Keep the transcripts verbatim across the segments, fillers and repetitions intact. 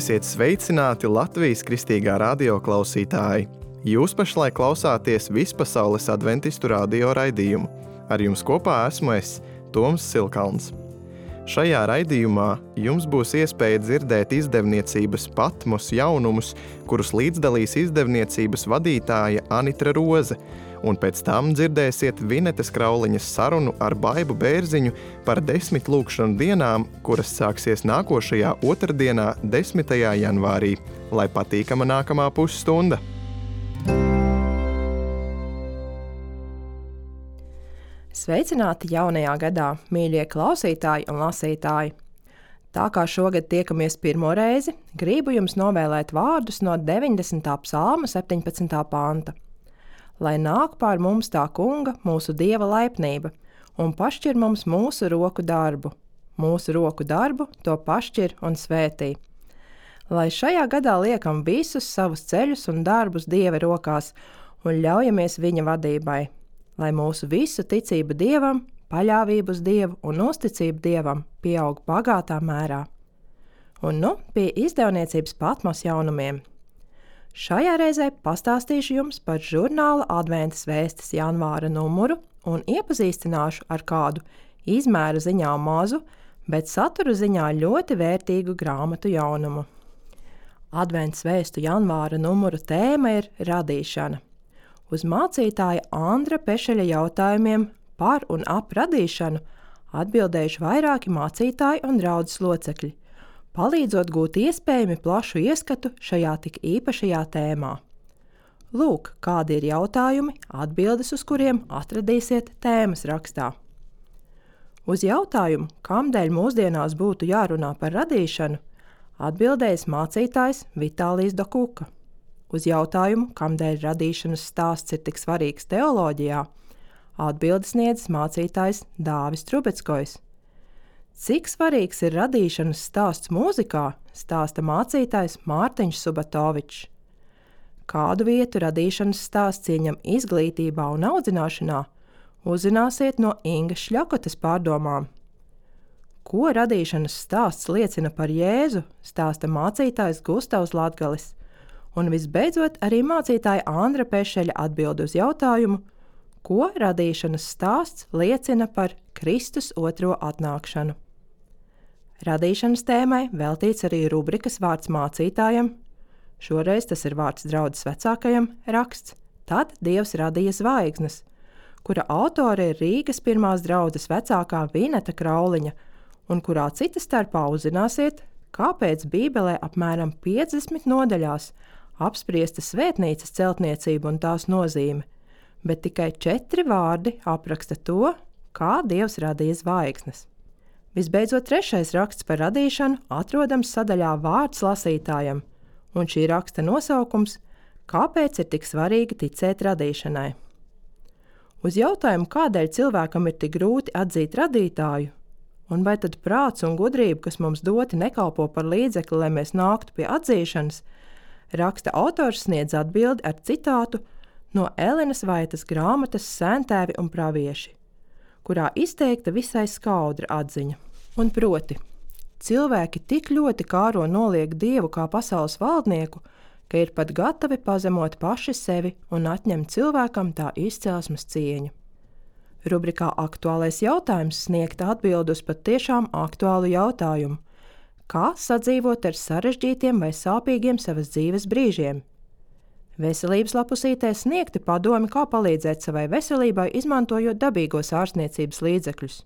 Esiet sveicināti Latvijas Kristīgā radio klausītāji! Jūs pašlaik klausāties Vispasaules adventistu radio raidījumu. Ar jums kopā esmu es, Toms Silkalns. Šajā raidījumā jums būs iespēja dzirdēt izdevniecības Patmos jaunumus, kurus līdzdalīs izdevniecības vadītāja Anitra Roze, un pēc tam dzirdēsiet Vinetes Krauliņas sarunu ar Baibu Bērziņu par desmit lūkšanu dienām, kuras sāksies nākošajā otrdienā, desmitajā janvārī. Lai patīkama nākamā pusstunda! Sveicināti jaunajā gadā, mīļie klausītāji un lasītāji! Tā kā šogad tiekamies pirmo reizi, gribu jums novēlēt vārdus no deviņdesmitā psalma septiņpadsmitā panta. Lai nāk pār mums tā kunga, mūsu Dieva laipnība, un pašķir mums mūsu roku darbu. Mūsu roku darbu to pašķir un svētī. Lai šajā gadā liekam visus savus ceļus un darbus Dieva rokās un ļaujamies viņa vadībai. Lai mūsu visu ticība Dievam, paļāvību uz Dievu un uzticību Dievam pieaug bagātā mērā. Un nu pie izdevniecības Patmos jaunumiem. Šajā reizē pastāstīšu jums par žurnāla Adventas vēstis janvāra numuru un iepazīstināšu ar kādu izmēra ziņā mazu, bet satura ziņā ļoti vērtīgu grāmatu jaunumu. Adventas vēstu janvāra numuru tēma ir radīšana. Uz mācītāja Andra Pešeļa jautājumiem par un ap radīšanu atbildējuši vairāki mācītāji un draudzes locekļi, palīdzot gūt iespējami plašu ieskatu šajā tik īpašajā tēmā. Lūk, kādi ir jautājumi, atbildes uz kuriem atradīsiet tēmas rakstā. Uz jautājumu, kamdēļ mūsdienās būtu jārunā par radīšanu, atbildējis mācītājs Vitālijs Dokuka. Uz jautājumu, kamdēļ radīšanas stāsts ir tik svarīgs teoloģijā, atbildes sniedzis mācītājs Dāvis Trubeckojs. Cik svarīgs ir radīšanas stāsts mūzikā, stāsta mācītājs Mārtiņš Subatovičs. Kādu vietu radīšanas stāsts ieņem izglītībā un audzināšanā, uzzināsiet no Ingas Šļakotas pārdomām. Ko radīšanas stāsts liecina par Jēzu, stāsta mācītājs Gustavs Latgalis. Un visbeidzot arī mācītāja Andra Pešeļa atbild uz jautājumu, ko radīšanas stāsts liecina par Kristus otro atnākšanu. Radīšanas tēmai veltīts arī rubrikas vārds mācītājam, šoreiz tas ir vārds draudzes vecākajam, raksts Tad Dievs radīja zvaigznes, kura autore ir Rīgas pirmās draudzes vecākā Vineta Krauliņa, un kurā cita starpā uzzināsiet, kāpēc Bībelē apmēram piecdesmit nodaļās apspriesta svētnīcas celtniecība un tās nozīme, bet tikai četri vārdi apraksta to, kā Dievs radīja zvaigznes. Visbeidzot, trešais raksts par radīšanu atrodams sadaļā vārds lasītājam, un šī raksta nosaukums Kāpēc ir tik svarīgi ticēt radīšanai? Uz jautājumu, kādēļ cilvēkam ir tik grūti atzīt radītāju, un vai tad prāts un gudrība, kas mums doti, nekalpo par līdzekli, lai mēs nāktu pie atzīšanas, raksta autors sniedz atbildi ar citātu no Elenas Vaitas grāmatas Sēntēvi un pravieši, kurā izteikta visai skaudra atziņa. Un proti, cilvēki tik ļoti kāro noliek Dievu kā pasaules valdnieku, ka ir pat gatavi pazemot paši sevi un atņemt cilvēkam tā izcelsmes cieņu. Rubrikā Aktuālais jautājums sniegta atbildi uz pat tiešām aktuālu jautājumu, kā sadzīvot ar sarežģītiem vai sāpīgiem savas dzīves brīžiem. Veselības lapusītē sniegti padomi, kā palīdzēt savai veselībai, izmantojot dabīgos ārstniecības līdzekļus.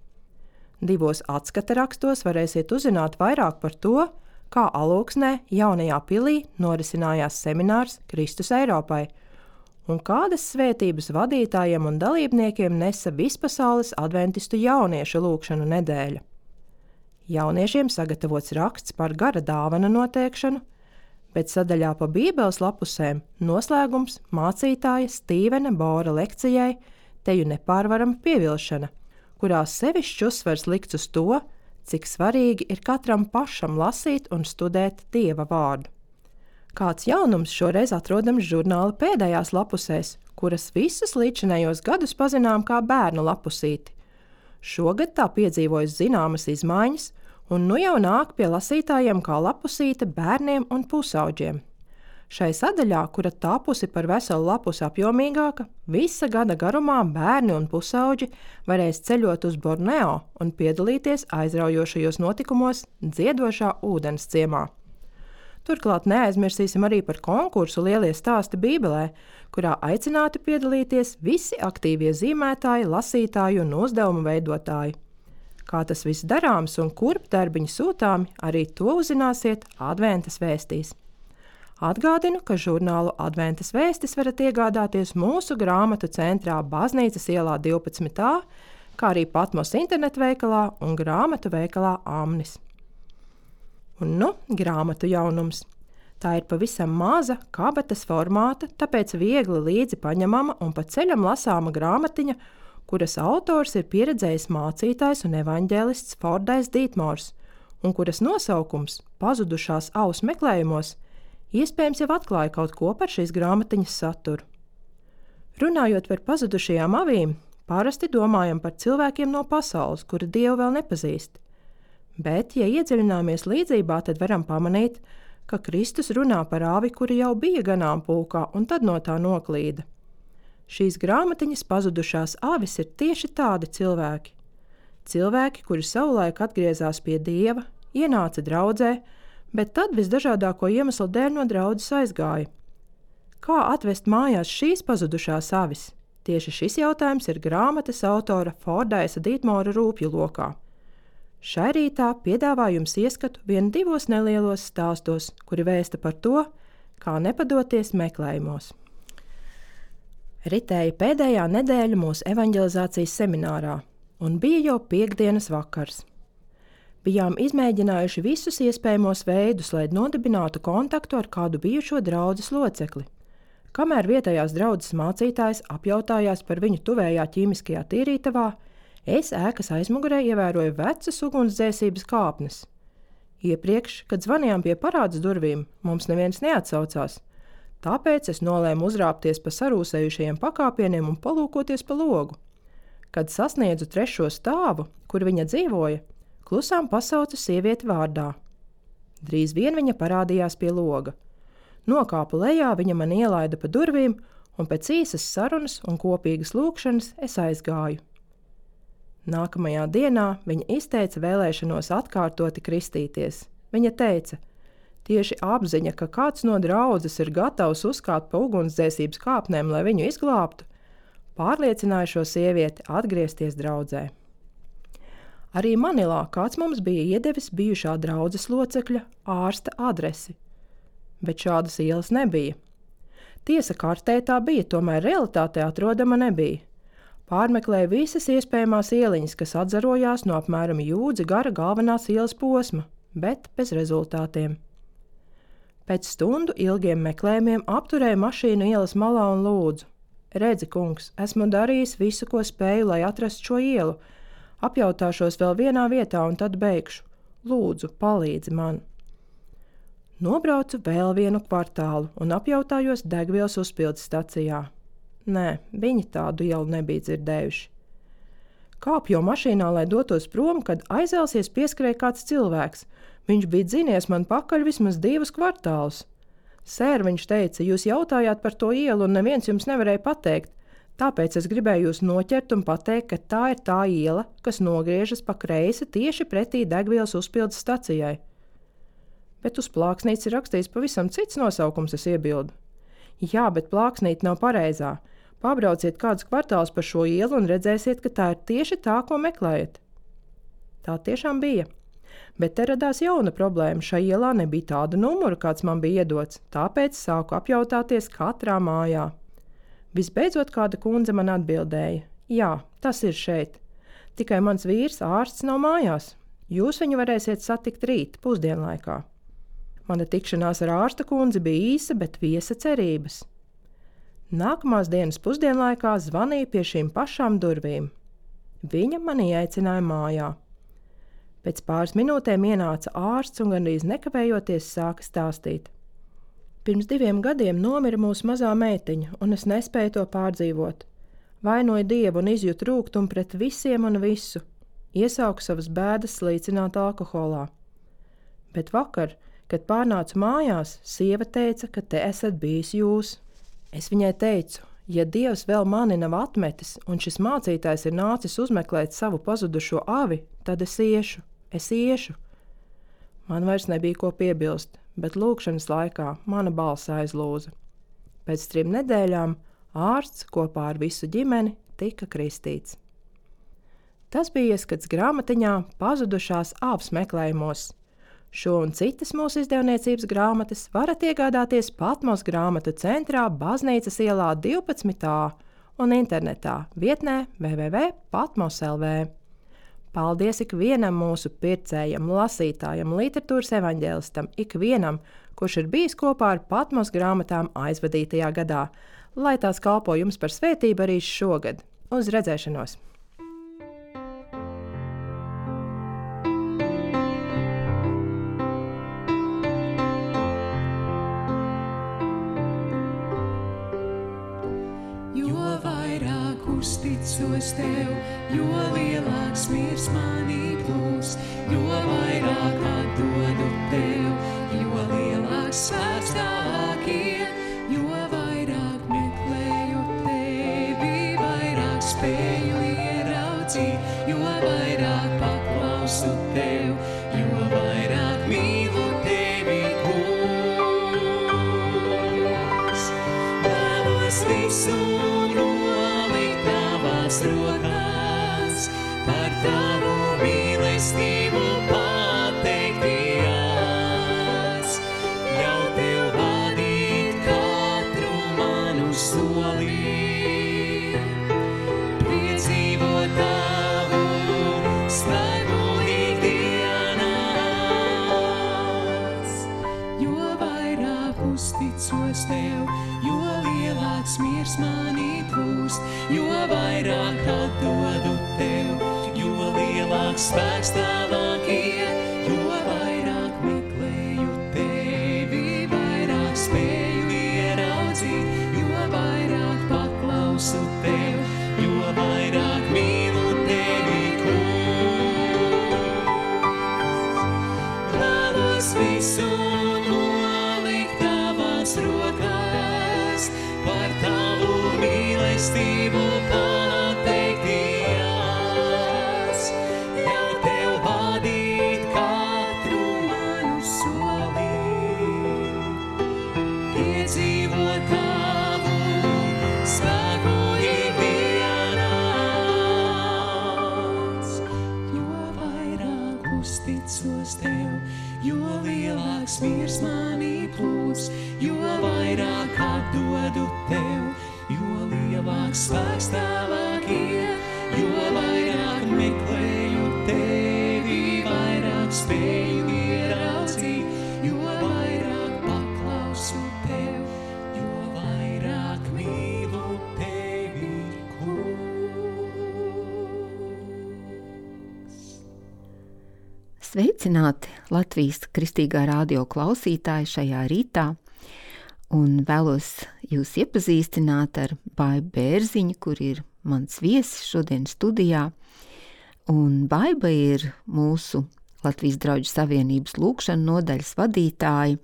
Divos atskata rakstos varēsiet uzzināt vairāk par to, kā Alūksnē jaunajā pilī norisinājās seminārs Kristus Eiropai, un kādas svētības vadītājiem un dalībniekiem nesa Vispasaules adventistu jauniešu lūkšanu nedēļa. Jauniešiem sagatavots raksts par gara dāvana noteikšanu, bet sadaļā pa Bībeles lapusēm noslēgums mācītāja Stīvena Bora lekcijai Teju nepārvarama pievilšana, kurā sevišķi uzsvars likts uz to, cik svarīgi ir katram pašam lasīt un studēt Dieva vārdu. Kāds jaunums šoreiz atrodams žurnāla pēdējās lapusēs, kuras visus līdzinējos gadus pazinām kā bērnu lapusīti. Šogad tā piedzīvojas zināmas izmaiņas, Un nu jau nāk pie lasītājiem kā lapusīte bērniem un pusauģiem. Šai sadaļā, kura tapusi par veselu lapusi apjomīgāka, visa gada garumā bērni un pusauģi varēs ceļot uz Borneo un piedalīties aizraujošajos notikumos Dziedošā ūdens ciemā. Turklāt neaizmirsīsim arī par konkursu Lielie stāsti Bībelē, kurā aicināti piedalīties visi aktīvie zīmētāji, lasītāji un uzdevumu veidotāji. Kā tas viss darāms un kurp darbiņi sūtāmi, arī to uzzināsiet Adventas vēstīs. Atgādinu, ka žurnālu Adventas vēstis varat iegādāties mūsu grāmatu centrā Baznīcas ielā divpadsmit A, kā arī Patmos internetveikalā un grāmatu veikalā Amnis. Un nu, grāmatu jaunums. Tā ir pavisam maza, kabatas formāta, tāpēc viegli līdzi paņemama un pa ceļam lasāma grāmatiņa, kuras autors ir pieredzējis mācītājs un evaņģēlists Fordais Dītmors, un kuras nosaukums Pazudušās auss meklējumos iespējams jau atklāja kaut ko par šīs grāmatiņas saturu. Runājot par pazudušajām avīm, parasti domājam par cilvēkiem no pasaules, kuri Dievu vēl nepazīst. Bet, ja iedziļināmies līdzībā, tad varam pamanīt, ka Kristus runā par avi, kuri jau bija ganāmpulkā un tad no tā noklīda. Šīs grāmatiņas pazudušās avis ir tieši tādi cilvēki. Cilvēki, kuri savulaik atgriezās pie Dieva, ienāca draudzē, bet tad visdažādāko iemeslu dēļ no draudzes aizgāja. Kā atvest mājās šīs pazudušās avis? Tieši šis jautājums ir grāmatas autora Fordaisa Dītmora rūpju lokā. Šai rītā piedāvāju jums ieskatu vien divos nelielos stāstos, kuri vēsta par to, kā nepadoties meklējumos. Ritēja pēdējā nedēļa mūsu evaņģelizācijas seminārā, un bija jau piektdienas vakars. Bijām izmēģinājuši visus iespējamos veidus, lai nodibinātu kontaktu ar kādu bijušo draudzes locekli. Kamēr vietējās draudzes mācītājs apjautājās par viņu tuvējā ķīmiskajā tīrītavā, es ēkas aizmugurē ievēroju vecas ugunsdzēsības kāpnes. Iepriekš, kad zvanījām pie parādes durvīm, mums neviens neatsaucās, tāpēc es nolēmu uzrāpties pa sarūsējušajiem pakāpieniem un palūkoties pa logu. Kad sasniedzu trešo stāvu, kur viņa dzīvoja, klusām pasaucu sievieti vārdā. Drīz vien viņa parādījās pie loga. Nokāpu lejā, viņa man ielaida pa durvīm, un pēc īsas sarunas un kopīgas lūkšanas es aizgāju. Nākamajā dienā viņa izteica vēlēšanos atkārtoti kristīties. Viņa teica, tieši apziņa, ka kāds no draudzes ir gatavs uzkāpt pa ugunsdzēsības kāpnēm, lai viņu izglābtu, pārliecināja šo sievieti atgriezties draudzē. Arī Manilā kāds mums bija iedevis bijušā draudzes locekļa ārsta adresi, bet šādas ielas nebija. Tiesa kartē tā bija, tomēr realitātē atrodama nebija. Pārmeklēja visas iespējamās ieliņas, kas atzarojās no apmēram jūdzi gara galvenās ielas posma, bet bez rezultātiem. Pēc stundu ilgiem meklējumiem apturēju mašīnu ielas malā un lūdzu. Redzi, kungs, esmu darījis visu, ko spēju, lai atrastu šo ielu. Apjautāšos vēl vienā vietā un tad beigšu. Lūdzu, palīdzi man. Nobraucu vēl vienu kvartālu un apjautājos degvielas uzpildes stacijā. Nē, viņi tādu ielu nebija dzirdējuši. Kāpju mašīnā, lai dotos prom, kad aizelsies pieskrēja kāds cilvēks. Viņš bija dzinies man pakaļ vismaz divus kvartālus. Sēr, viņš teica, jūs jautājāt par to ielu un neviens jums nevarēja pateikt. Tāpēc es gribēju jūs noķert un pateikt, ka tā ir tā iela, kas nogriežas pa kreisi tieši pretī degvielas uzpildes stacijai. Bet uz plāksnītes ir rakstīts pavisam cits nosaukums, es iebildu. Jā, bet plāksnīte nav pareizā. Pabrauciet kādus kvartālus pa šo ielu un redzēsiet, ka tā ir tieši tā, ko meklējat. Tā tiešām bija. Bet te radās jauna problēma. Šai ielā nebija tāda numura, kāds man bija iedots, tāpēc sāku apjautāties katrā mājā. Visbeidzot kāda kundze man atbildēja. Jā, tas ir šeit. Tikai mans vīrs ārsts nav mājās. Jūs viņu varēsiet satikt rīt, pusdienlaikā. Mana tikšanās ar ārsta kundzi bija īsa, bet viesa cerības. Nākamās dienas pusdienlaikā zvanīju pie šīm pašām durvīm. Viņa mani aicināja mājā. Pēc pāris minūtēm ienāca ārsts un gandrīz nekavējoties sāka stāstīt. Pirms diviem gadiem nomira mūsu mazā meitiņa, un es nespēju to pārdzīvot. Vainoju Dievu un izjūtu rūgtumu pret visiem un visu. iesauku savas bēdas slīcināt alkoholā. Bet vakar, kad pārnācu mājās, sieva teica, ka te esat bijis jūs. Es viņai teicu, ja Dievs vēl mani nav atmetis un šis mācītājs ir nācis uzmeklēt savu pazudušo avi, tad es iešu, es iešu. Man vairs nebija ko piebilst, bet lūkšanas laikā mana balss aizlūza. Pēc trim nedēļām ārsts kopā ar visu ģimeni tika kristīts. Tas bija ieskats grāmatiņā Pazudušās avs meklējumos. Šo un citas mūsu izdevniecības grāmatas varat iegādāties Patmos grāmatu centrā Baznīcas ielā divpadsmit A un internetā vietnē w w w punkt patmos punkt l v. Paldies ikvienam mūsu pircējam, lasītājam, literatūras evaņģēlistam, ikvienam, kurš ir bijis kopā ar Patmos grāmatām aizvadītajā gadā, lai tās kalpo jums par svētību arī šogad. Uz redzēšanos! Uzticos tev, jo lielāks miers manī plūs, jo vairāk atdodu tev, jo lielāks svēts tavāk ir, jo vairāk meklēju tevi, vairāk spēju ieraudzīt, jo vairāk paklausu tev, jo vairāk mīlu tevi, kungs. Vēlos visu rokās, par tavu mīlestību pateikties, ļauj tev vadīt katru manu soli, piedzīvot tavu spēku ikdienās, jo vairāk uzticos tev, jo lielāks miers manī plūst, jo vairāk atdodu tev, jo lielāks spēks tavāk ir, jo vairāk meklēju tevi, vairāk spēju ieraudzīt, jo vairāk paklausu tev, jo vairāk mīlu tevi, kungs. Vēlos visu nolikt tavās rokās, par tavu mīlestību pateikties, ļauj tev vadīt katru manu soli, piedzīvot tavu spēku ikdienās, jo vairāk uzticos tev, jo lielāks miers manī plūst, jo vairāk atdodu tev, jo lielāks spēks tavāk ir, jo vairāk meklēju tevi, vairāk spēju ieraudzīt, jo vairāk paklausu tev, jo vairāk mīlu tevi, kungs. Sveicināti Latvijas Kristīgā radio klausītāji šajā rītā, un vēlos jūs iepazīstināt ar Baibu Bērziņu, kur ir mans viesis šodien studijā. Un Baiba ir mūsu Latvijas Drauģu Savienības lūkšanu nodaļas vadītāja,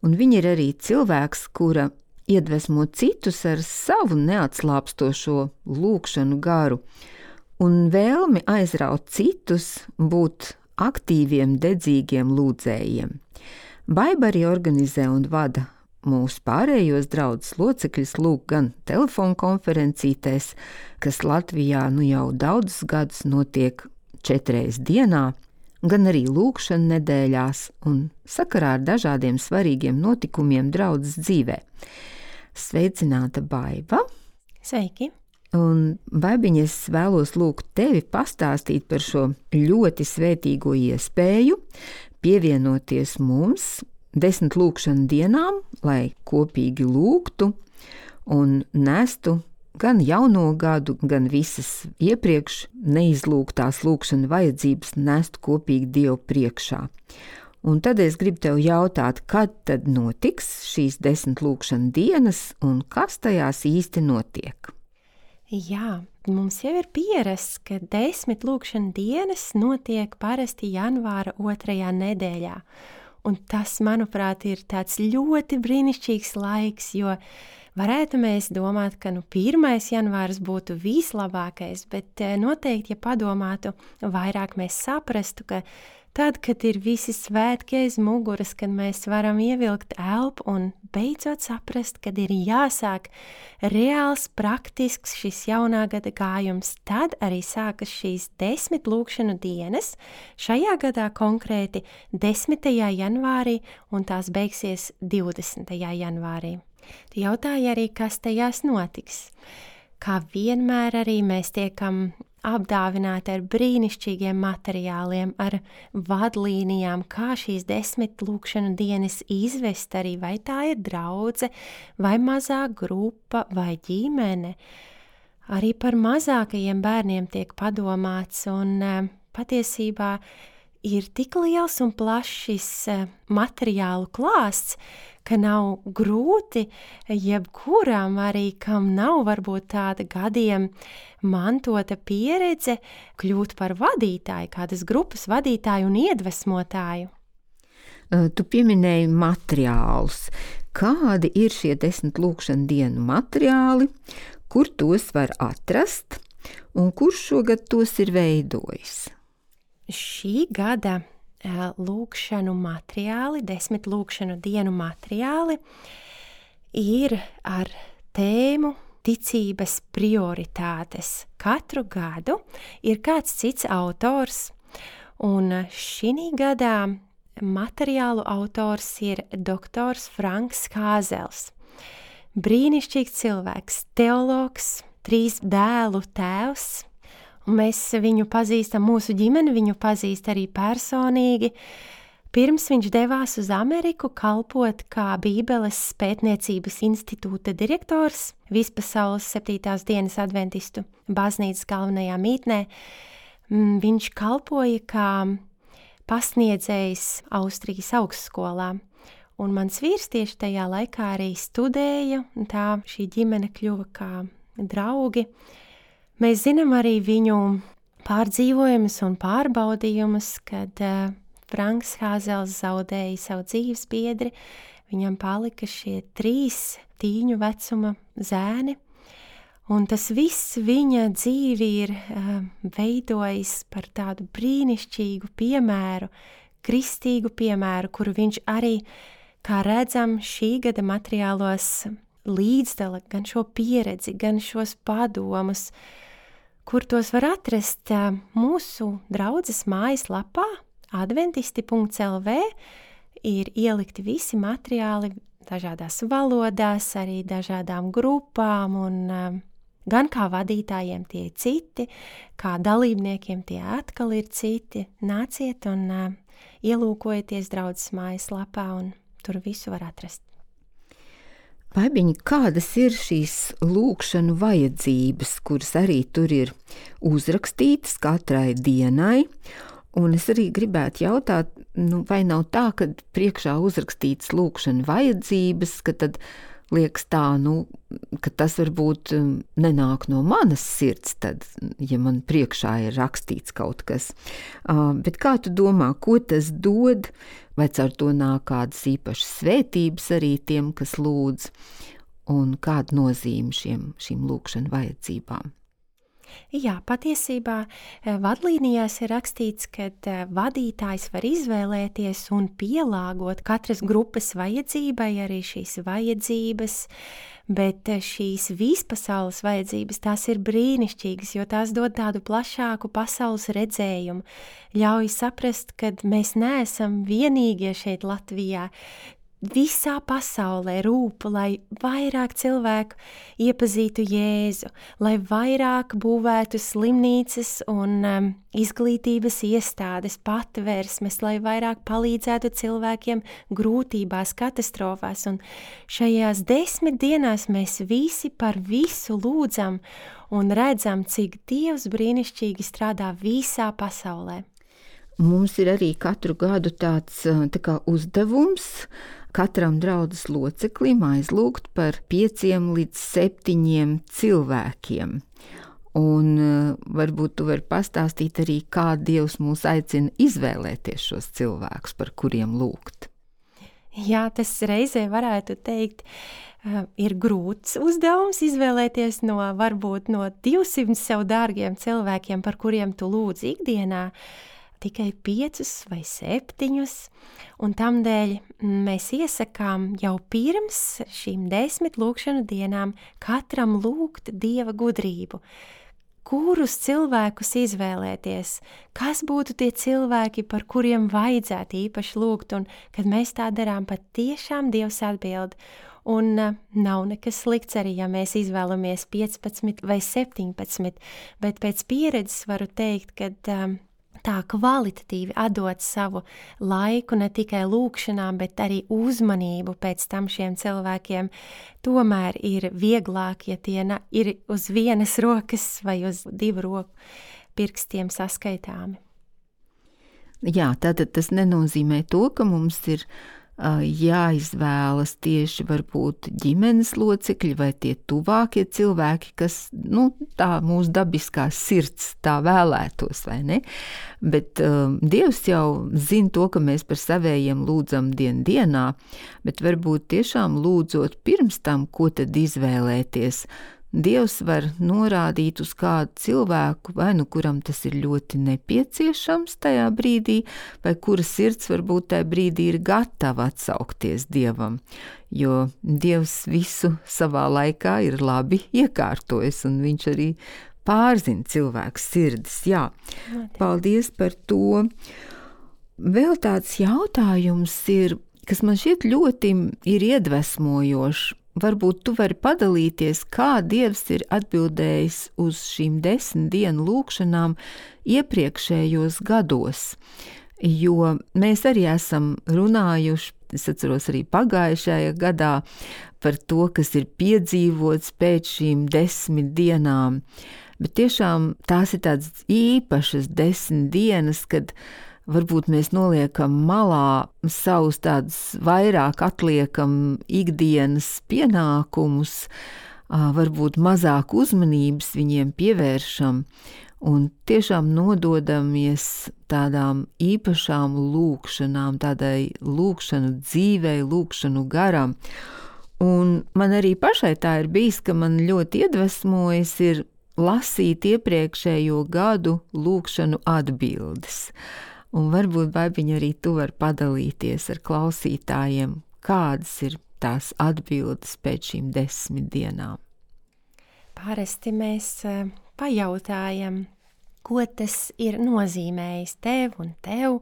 un viņa ir arī cilvēks, kura iedvesmo citus ar savu neatslāpstošo lūkšanu garu un vēlmi aizraut citus būt aktīviem, dedzīgiem lūdzējiem. Baiba arī organizē un vada mūsu pārējos draudzes locekļus lūk gan telefonu konferencītēs, kas Latvijā nu jau daudzus gadus notiek četreiz dienā, gan arī lūkšana nedēļās un sakarā ar dažādiem svarīgiem notikumiem draudzes dzīvē. Sveicināta Baiba! Sveiki! Un, Baibiņa, es vēlos lūgt tevi pastāstīt par šo ļoti svētīgo iespēju pievienoties mums desmit lūkšanu dienām, lai kopīgi lūgtu un nestu gan jauno gadu, gan visas iepriekš neizlūgtās lūkšana vajadzības nestu kopīgi Dievu priekšā. Un tad es gribu tev jautāt, kad tad notiks šīs desmit lūkšana dienas un kas tajās īsti notiek? Jā, mums jau ir pierasts, ka desmit lūkšana dienas notiek parasti janvāra otrajā nedēļā. Un tas, manuprāt, ir tāds ļoti brīnišķīgs laiks, jo varētu mēs domāt, ka nu, pirmais janvārs būtu vislabākais, bet noteikti, ja padomātu vairāk, mēs saprastu, ka tad, kad ir visi svētki aiz muguras, kad mēs varam ievilkt elpu un beidzot saprast, kad ir jāsāk reāls, praktisks šis jaunā gada gājums, tad arī sākas šīs desmit lūkšanu dienas, šajā gadā konkrēti desmitajā janvārī un tās beigsies divdesmitajā janvārī. Tu jautāji arī, kas tajās notiks. Kā vienmēr arī mēs tiekam apdāvināti ar brīnišķīgiem materiāliem, ar vadlīnijām, kā šīs desmit lūkšanu dienas izvest arī, vai tā ir draudze, vai mazā grupa, vai ģimene. Arī par mazākajiem bērniem tiek padomāts, un patiesībā ir tik liels un plašs materiālu klāsts, ka nav grūti jebkuram arī, kam nav varbūt tāda gadiem mantota pieredze, kļūt par vadītāju, kādas grupas vadītāju un iedvesmotāju. Tu pieminēji materiālus. Kādi ir šie desmit lūkšanu dienu materiāli, kur tos var atrast un kurš šogad tos ir veidojis? Šī gada lūkšanu materiāli, desmit lūkšanu dienu materiāli ir ar tēmu ticības prioritātes. Katru gadu ir kāds cits autors, un šī gadā materiālu autors ir doktors Franks Kāzels. Brīnišķīgs cilvēks, teologs, trīs dēlu tēvs. Un mēs viņu pazīstam, mūsu ģimeni viņu pazīst arī personīgi. Pirms viņš devās uz Ameriku kalpot kā Bībeles pētniecības institūta direktors Vispasaules septītās dienas adventistu baznīcas galvenajā mītnē. Viņš kalpoja kā pasniedzējs Austrijas augstskolā. Un mans vīrs tieši tajā laikā arī studēja, un tā šī ģimene kļuva kā draugi. Mēs zinām arī viņu pārdzīvojumus un pārbaudījumus, kad uh, Franks Kāzels zaudēja savu dzīves biedri. Viņam palika šie trīs tīņu vecuma zēni, un tas viss viņa dzīvi ir uh, veidojis par tādu brīnišķīgu piemēru, kristīgu piemēru, kuru viņš arī, kā redzam, šī gada materiālos līdzdala gan šo pieredzi, gan šos padomus, kur tos var atrast mūsu draudzes mājaslapā adventisti punkts el vē, ir ielikti visi materiāli dažādās valodās, arī dažādām grupām, un gan kā vadītājiem tie ir citi, kā dalībniekiem tie atkal ir citi. Nāciet un ielūkojieties draudzes mājaslapā, un tur visu var atrast. Baibiņi, kādas ir šīs lūkšanu vajadzības, kuras arī tur ir uzrakstītas katrai dienai, un es arī gribētu jautāt, nu, vai nav tā, ka priekšā uzrakstītas lūkšanu vajadzības, ka tad liekas tā, nu, ka tas varbūt nenāk no manas sirds, tad, ja man priekšā ir rakstīts kaut kas. Uh, bet kā tu domā, ko tas dod, vai caur to nāk kādas īpašas svētības arī tiem, kas lūdz, un kāda nozīme šiem, šīm lūkšanu vajadzībām? Jā, patiesībā vadlīnijās ir rakstīts, ka vadītājs var izvēlēties un pielāgot katras grupas vajadzībai arī šīs vajadzības, bet šīs vispasaules vajadzības, tās ir brīnišķīgas, jo tās dod tādu plašāku pasaules redzējumu, ļauj saprast, ka mēs neesam vienīgie šeit Latvijā. Visā pasaulē rūp, lai vairāk cilvēku iepazītu Jēzu, lai vairāk būvētu slimnīcas un um, izglītības iestādes, patvērsmes, lai vairāk palīdzētu cilvēkiem grūtībās, katastrofās. Un šajās desmit dienās mēs visi par visu lūdzam un redzam, cik Dievs brīnišķīgi strādā visā pasaulē. Mums ir arī katru gadu tāds tā kā uzdevums katram draudzes loceklim aizlūgt par pieciem līdz septiņiem cilvēkiem. Un uh, varbūt tu vari pastāstīt arī, kā Dievs mūs aicina izvēlēties šos cilvēkus, par kuriem lūgt. Jā, tas reizē varētu teikt, uh, ir grūts uzdevums izvēlēties no varbūt no divsimt sev dārgiem cilvēkiem, par kuriem tu lūdz ikdienā, tikai piecus vai septiņus, un tamdēļ mēs iesakām jau pirms šīm desmit lūkšanu dienām katram lūgt Dieva gudrību. Kurus cilvēkus izvēlēties, kas būtu tie cilvēki, par kuriem vajadzētu īpaši lūgt, un kad mēs tā darām, pat tiešām Dievs atbild. Un uh, nav nekas slikts arī, ja mēs izvēlamies piecpadsmit vai septiņpadsmit, bet pēc pieredzes varu teikt, ka um, tā kvalitatīvi atdot savu laiku ne tikai lūkšanām, bet arī uzmanību pēc tam šiem cilvēkiem, tomēr ir vieglāk, ja tie ir uz vienas rokas vai uz divu roku pirkstiem saskaitāmi. Jā, tātad tas nenozīmē to, ka mums ir uh, jāizvēlas tieši varbūt ģimenes locekļi vai tie tuvākie cilvēki, kas, nu, tā mūsu dabiskā sirds tā vēlētos, vai ne? Bet uh, Dievs jau zina to, ka mēs par savējiem lūdzam dien dienā, bet varbūt tiešām lūdzot pirms tam, ko tad izvēlēties. Dievs var norādīt uz kādu cilvēku, vai nu kuram tas ir ļoti nepieciešams tajā brīdī, vai kura sirds varbūt tajā brīdī ir gatava atsaukties Dievam, jo Dievs visu savā laikā ir labi iekārtojis, un viņš arī pārzina cilvēku sirdis. Jā, paldies par to. Vēl tāds jautājums ir, kas man šķiet ļoti ir iedvesmojošs. Varbūt tu vari padalīties, kā Dievs ir atbildējis uz šīm desmit dienu lūkšanām iepriekšējos gados, jo mēs arī esam runājuši, es atceros arī pagājušajā gadā, par to, kas ir piedzīvots pēc šīm desmit dienām, bet tiešām tās ir tādas īpašas desmit dienas, kad varbūt mēs noliekam malā savus tādus vairāk atliekam ikdienas pienākumus, varbūt mazāk uzmanības viņiem pievēršam un tiešām nododamies tādām īpašām lūkšanām, tādai lūkšanu dzīvei, lūkšanu garam. Un man arī pašai tā ir bijis, ka man ļoti iedvesmojas ir lasīt iepriekšējo gadu lūkšanu atbildes. Un varbūt, Baibiņa, arī tu vari padalīties ar klausītājiem, kādas ir tās atbildes pēc šīm desmit dienām. Parasti mēs uh, pajautājam, ko tas ir nozīmējis tev un tev,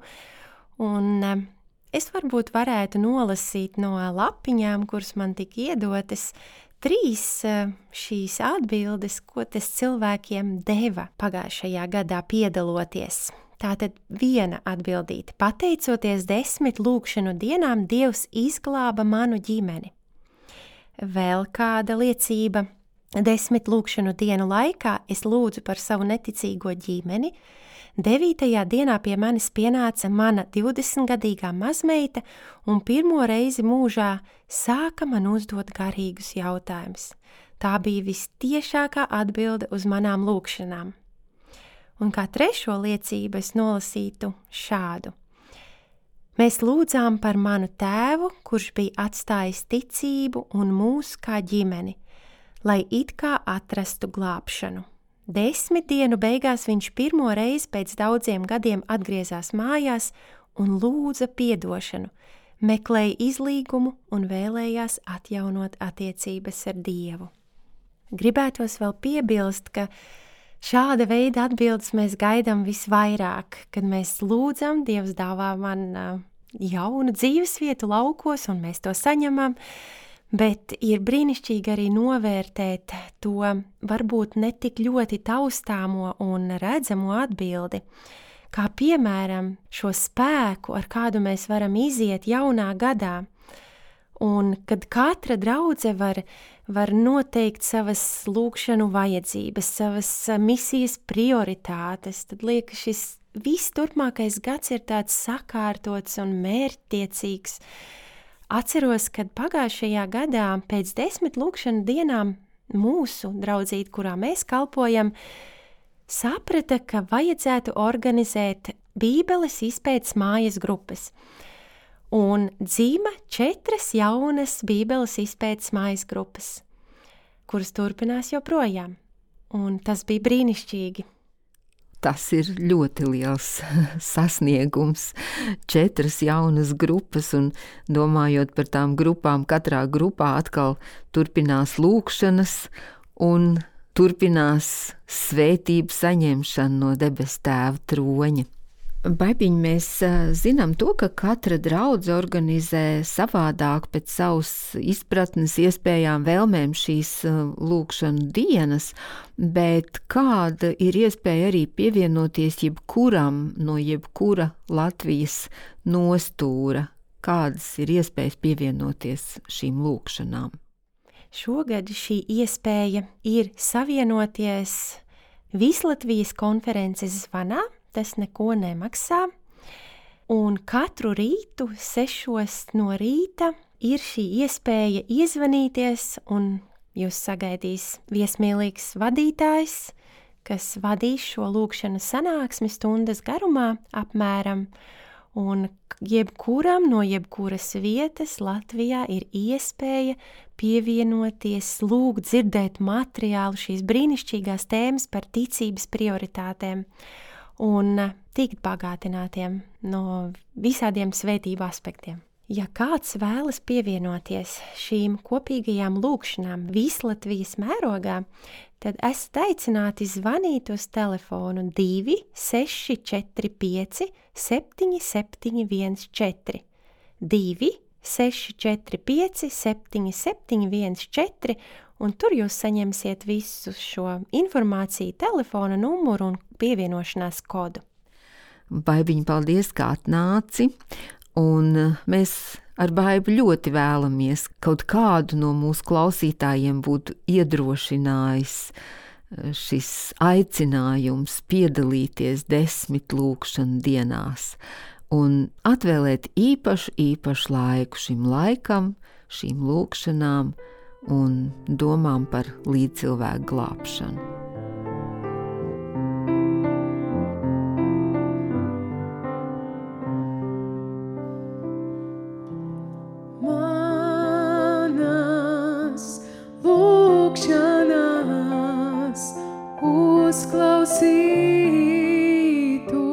un uh, es varbūt varētu nolasīt no lapiņām, kuras man tika iedotas, trīs uh, šīs atbildes, ko tas cilvēkiem deva pagājušajā gadā piedaloties. Tātad viena atbildīte. Pateicoties desmit lūkšanu dienām, Dievs izglāba manu ģimeni. Vēl kāda liecība. Desmit lūkšanu dienu laikā es lūdzu par savu neticīgo ģimeni. Devītajā dienā pie manis pienāca mana divdesmitgadīgā mazmeita un pirmo reizi mūžā sāka man uzdot garīgus jautājumus. Tā bija vistiešākā atbilde uz manām lūkšanām. Un kā trešo liecību es nolasītu šādu. Mēs lūdzām par manu tēvu, kurš bija atstājis ticību un mūs kā ģimeni, lai it kā atrastu glābšanu. Desmit dienu beigās viņš pirmo reizi pēc daudziem gadiem atgriezās mājās un lūdza piedošanu, meklēja izlīgumu un vēlējās atjaunot attiecības ar Dievu. Gribētos vēl piebilst, ka šāda veida atbildes mēs gaidām visvairāk, kad mēs lūdzam, Dievs dāvā man uh, jaunu dzīvesvietu laukos, un mēs to saņemam, bet ir brīnišķīgi arī novērtēt to varbūt netik ļoti taustāmo un redzamo atbildi, kā piemēram šo spēku, ar kādu mēs varam iziet jaunā gadā. Un kad katra draudze var, var noteikt savas lūkšanu vajadzības, savas misijas prioritātes, tad liekas, šis viss turpmākais gads ir tāds sakārtots un mērķtiecīgs, atceros, kad pagājušajā gadā pēc desmit lūkšanu dienām mūsu draudzīte, kurā mēs kalpojam, saprata, ka vajadzētu organizēt Bībeles izpētes mājas grupas. Un dzīva četras jaunas Bībeles izpētes mājas grupas, kuras turpinās joprojām. Un tas bija brīnišķīgi. Tas ir ļoti liels sasniegums. Četras jaunas grupas, un domājot par tām grupām, katrā grupā atkal turpinās lūkšanas un turpinās svētību saņemšana no debes Tēva troņa. Baibiņ, mēs zinām to, ka katra draudze organizē savādāk pēc savas izpratnes, iespējām, vēlmēm šīs lūkšanu dienas, bet kāda ir iespēja arī pievienoties jebkuram no jebkura Latvijas nostūra? Kādas ir iespējas pievienoties šīm lūkšanām? Šogad šī iespēja ir savienoties Vislatvijas konferences zvanā. Tas neko nemaksā, un katru rītu sešos no rīta ir šī iespēja iezvanīties, un jūs sagaidīs viesmīlīgs vadītājs, kas vadīs šo lūkšanu sanāksmi stundas garumā apmēram, un jebkuram no jebkuras vietas Latvijā ir iespēja pievienoties, lūgt, dzirdēt materiālu, šīs brīnišķīgās tēmas par ticības prioritātēm un tikt bagātinātiem no visādiem svētību aspektiem. Ja kāds vēlas pievienoties šīm kopīgajām lūkšanām Vislatvijas mērogā, tad esat aicināti zvanīt uz telefonu divi seši četri pieci septiņi septiņi viens četri, divi seši četri pieci septiņi septiņi viens četri, un tur jūs saņemsiet visu šo informāciju, telefona numuru un pievienošanās kodu. Baibiņ, paldies, kā atnāci, un mēs ar Baibu ļoti vēlamies kaut kādu no mūsu klausītājiem būtu iedrošinājis šis aicinājums piedalīties desmit lūkšanu dienās un atvēlēt īpašu, īpašu laiku šim laikam, šīm lūkšanām un domām par līdzcilvēku glābšanu. Manas lūkšanas uzklausītu,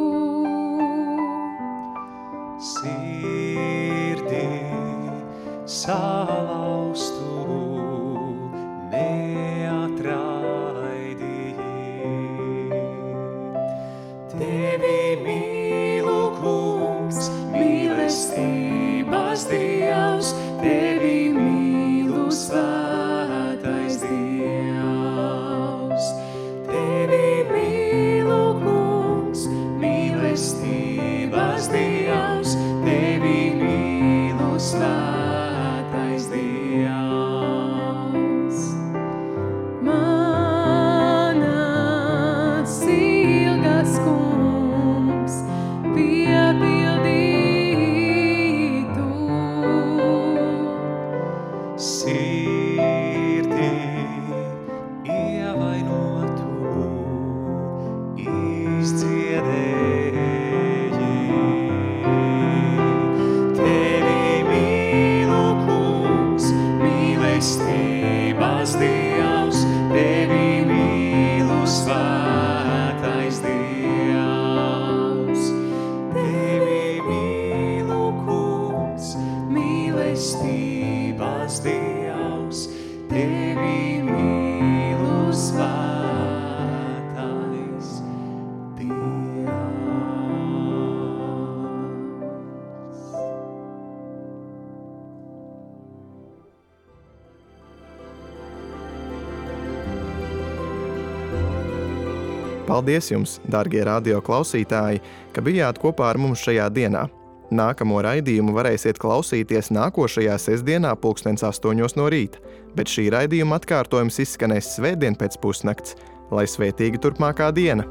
sirdī salaustu, mīlestības Dievs, tevi mīlu svētais Dievs. Tevi mīlu, kungs, mīlestības Dievs, tevi mīlu svētais Dievs. Manas ilgas, kungs, piepildī sirdī ievainotu izdziedēji. Tevi mīlu, kungs, mīlestības Dievs, tevi mīlu svētais Dievs. Tevi mīlu, kungs, mīlestības Dievs, tevi mīlu svētais Dievs. Paldies jums, darbie radio klausītāji, ka bijāt kopā ar mums šajā dienā. Nākamo raidījumu varēsiet klausīties nākošajā sestdienā pulkstens astoņos no rīta, bet šī raidījuma atkārtojums izskanēs svētdien pēc pusnakts. Lai svētīga turpmākā diena!